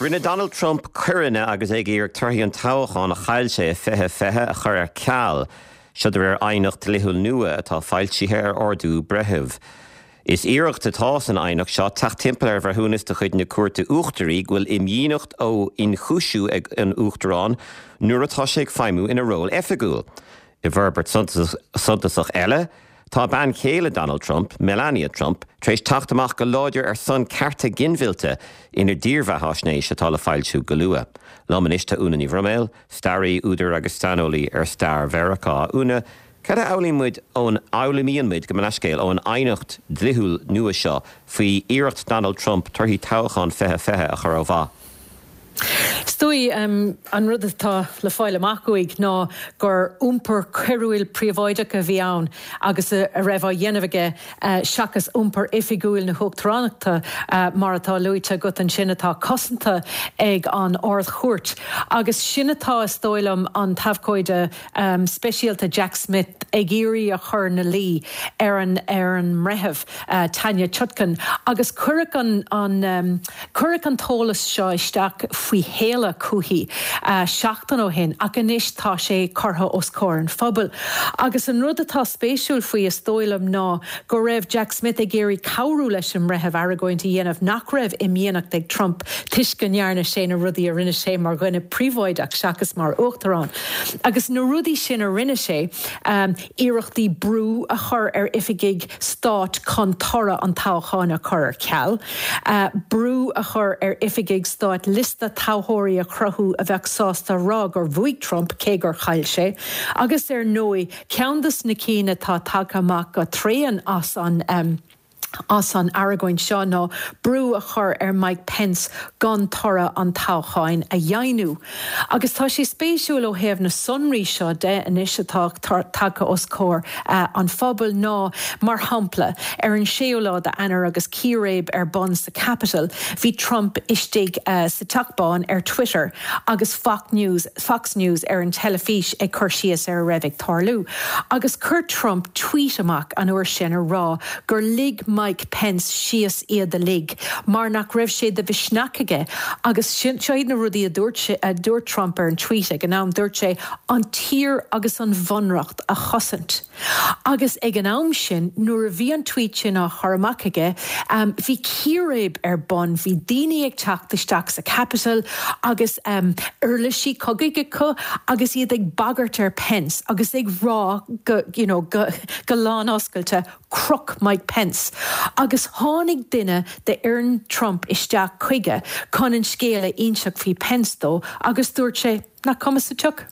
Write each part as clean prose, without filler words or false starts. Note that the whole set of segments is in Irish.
Rinne Donald Trump coireanna agus é ag iarraidh torthaí an toghcháin a chaill sé i 2020 a chur ar ceal, seo de réir aighneacht dlíthiúil nua atá foilsithe ar ordú breithimh. Is iarracht atá san aighneacht seo teacht timpeall ar bhreithiúnas de chuid na Cúirte Uachtaraí go bhfuil imdhíonacht ó ionchúisiú ag an Uachtarán nuair atá sé ag feidhmiú ina ról oifigiúil. I bhforbairt suntasach eile, tá bean chéile Donald Trump, Melania Trump, tar éis teacht amach go láidir ar son cearta ginmhillte ina dírbheathaisnéis atá le foilsiú go luath. Liom anois tá Úna Ní Bhroiméil, staraí, údar agus saineolaí ar stair Mheiriceá. Úna, cad a fhoghlaíonn muid ón, fhoghlaimíonn muid, gabh mo leithscéal, ón aighneacht dlíthiúil nua seo faoi iarracht Donald Trump torthaí toghchán 2020 a chur ó mhaith? Is dóigh, an rud atá le fáil amach uaidh ná gur iompar coiriúil príobháideach a bhí ann agus a raibh á dhéanamh aige seachas iompar oifigiúil na huachtaránachta mar atá luaite agat ansin atá cosanta ag an Ard-Chúirt. Agus sin atá, is dóigh liom, an t-abhcóide speisialta Jack Smith ag iarraidh a chur 'na luí ar an ar an mbreitheamh Tanya Chutkan agus cuireadh an an cuireadh an t-eolas seo isteach faoi shéala chúichi seachtain ó shin ach anois tá sé curtha os comhair an phobail. Agus an rud atá spéisiúil faoi is dóigh liom ná go raibh Jack Smith ag iarraidh cabhrú leis an mbreitheamh argóint a dhéanamh nach raibh imdhíonacht ag Trump toisc go ndearna sé na rudaí a rinne sé mar dhuine príobháideach seachas mar uachtarán. Agus na rudaí sin a rinne sé, iarrachtaí brú a chur ar oifigigh stáit chun toradh an toghcháin a chur ar ceal, brú a chur ar oifigigh stáit liosta toghthóirí a chruthú a bheadh sásta a rá gur bhuaigh Trump cé gur chaill sé, agus ar ndóigh ceann de na cinn atá tagtha amach go tréan as an as an argóint seo ná brú a chur ar Mike Pence gan toradh an toghcháin a dheimhniú. Agus tá sé spéisiúil ó thaobh na sonraí seo de anois atá tagtha os comhair an phobail ná, mar shampla, ar an séú lá d'Eanáir agus círéib ar bun sa Capitol, bhí Trump istigh sa Teach Bán ar Twitter agus Fox News Fox News ar an teilifís ag cur síos ar a raibh ag tarlú. Agus chuir Trump tweet amach an uair sin a rá gur lig Mike Pence síos iad uilig mar nach raibh sé de mhisneach aige agus seo iad na rudaí a dúirt sé, a dúirt Trump ar an tweet ag an am, dúirt sé, an tír agus an bhunreacht a chosaint. Agus ag an am sin, nuair a bhí an tweet sin á chur amach aige, bhí círéib ar bun, bhí daoine ag teacht isteach sa Capitol agus uirlisí cogaidh acu agus iad ag bagairt ar Pence agus ag rá go, you know, go, go lánoscailte, croch Mike Pence. Agus tháinig duine d'fhoireann Trump isteach chuige chun an scéal a inseacht faoi Pence dó agus dúirt sé, nach cuma sa tsioc.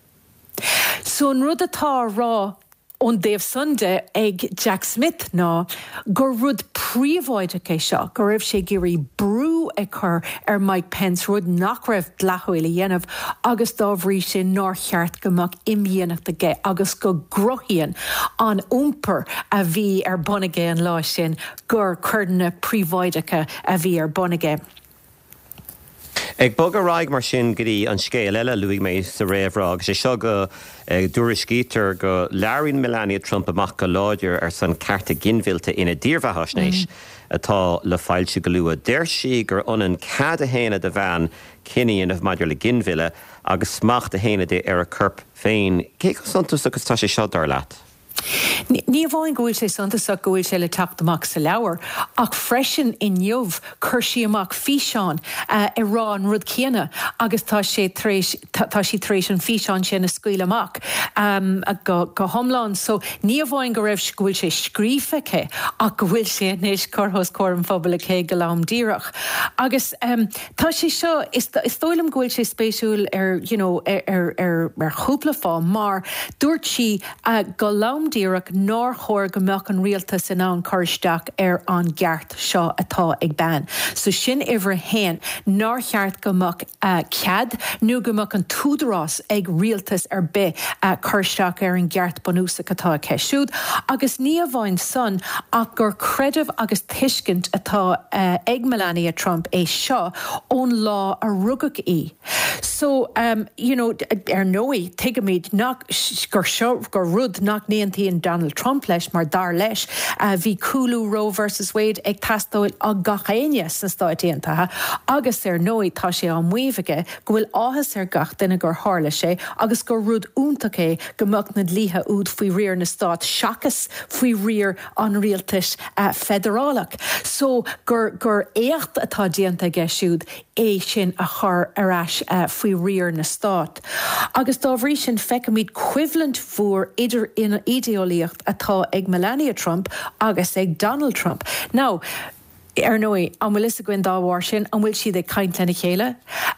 So an rud atá á rá ón dtaobh san de ag Jack Smith ná gur rud príobháideach é seo, go raibh sé ag iarraidh brú a chur ar Mike Pence, rud nach raibh dleathúil a dhéanamh agus dá bhrí sin nár cheart go mbeadh imdhíonacht aige agus go gcruthaíonn an iompar a bhí ar bun aige an lá sin gur coireanna príobháideacha a bhí ar bun aige. Ag bogadh ar aghaidh mar sin go dtí an scéal eile a luaigh mé sa réamhrá, agus é seo go dtuairiscítear go labhraíonn Melania Trump amach go láidir ar son cearta ginmhillte ina dírbheathaisnéis atá le foilsiú go luath. Deir sí gur ionann cead a shéanadh do bhean cinneadh a dhéanamh maidir le ginmhilleadh agus smacht a shéanadh di ar a corp féin. Cé chomh suntasach is atá sé seo, dar leat? Ní amháin go bhfuil sé suntasach go bhfuil sé le teacht amach sa leabhar, ach freisin inniu chuir sí amach físeán ag rá an rud céanna agus tá sé tar éis, tá sí tar éis an físeán sin a scaoileadh amach go go hiomlán. So ní amháin go raibh, go bhfuil sé scríofa aici ach go bhfuil sé anois curtha os comhair an phobail aici go lom díreach. Agus tá sé seo, is dóigh liom go bhfuil sé spéisiúil ar you know ar ar ar chúpla fáth mar dúirt sí, go lom díreach nár chóir go mbeadh an rialtas in ann cur isteach ar an gceart seo atá ag bean. So sin uimhir a haon, nár cheart go mbeadh cead nó go mbeadh an t-údarás ag rialtas ar bith cur isteach ar an gceart bunúsach atá aici siúd. Agus ní amháin san ach gur creideamh agus tuiscint atá ag Melania Trump é seo ón lá a rugadh í. So, you know, ar ndóigh, tuigimid nach, gur seo, gur rud nach n-aontaíonn Donald Trump leis mar dar leis, bhí cúlú Roe versus Wade ag teastáil ó gach éinne sna Stáit Aontaithe agus ar ndóigh tá sé á maíomh aige go bhfuil áthas ar gach duine gur tharla sé agus gur rud iontach é go mbeadh na dlíthe úd faoi riar na stát seachas faoi riar an rialtais feidearálach. So gur gur éacht atá déanta aige siúd é sin a chur ar ais faoi riar na stát. Agus dá bhrí sin feicimid coimhlint mhór idir an idéeolaíocht atá ag Melania Trump agus ag Donald Trump. Now, ar ndóigh, an bhfuil fhios againn dá bharr sin, an bhfuil siad ag caint lena chéile?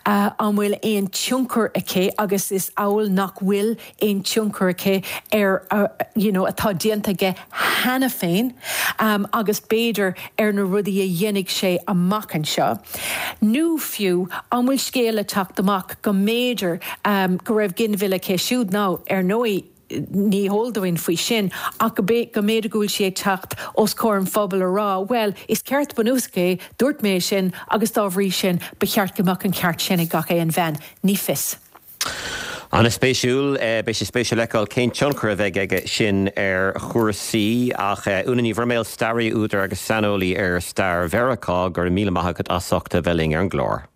An bhfuil aon tionchar aici, agus is amhail nach bhfuil aon tionchar aici ar you know atá déanta aige cheana féin agus b'fhéidir ar na rudaí a dhéanfaidh sé amach anseo. Nó fiú, an bhfuil scéal le teacht amach go mb'fhéidir go raibh ginmhilleadh aici siúd? Now, ar ndóigh, ní heol dúinn faoi sin ach go mb'fhéidir go bhfuil sí ag teacht os comhair an phobail a rá, bhuel, is ceart bunúsach é, dúirt mé é sin agus dá bhrí sin ba cheart go mbeadh an ceart sin ag gach aon bhean. Ní fios. An-spéisiúil. Beidh sé spéisiúil fheiceáil cén tionchar a bheidh aige sin ar chúrsaí. Ach Úna Ní Bhroiméil, staraí, údar agus saineolaí ar stair Mheiriceá, go raibh míle maith agat as ucht a bheith linn ar an gclár.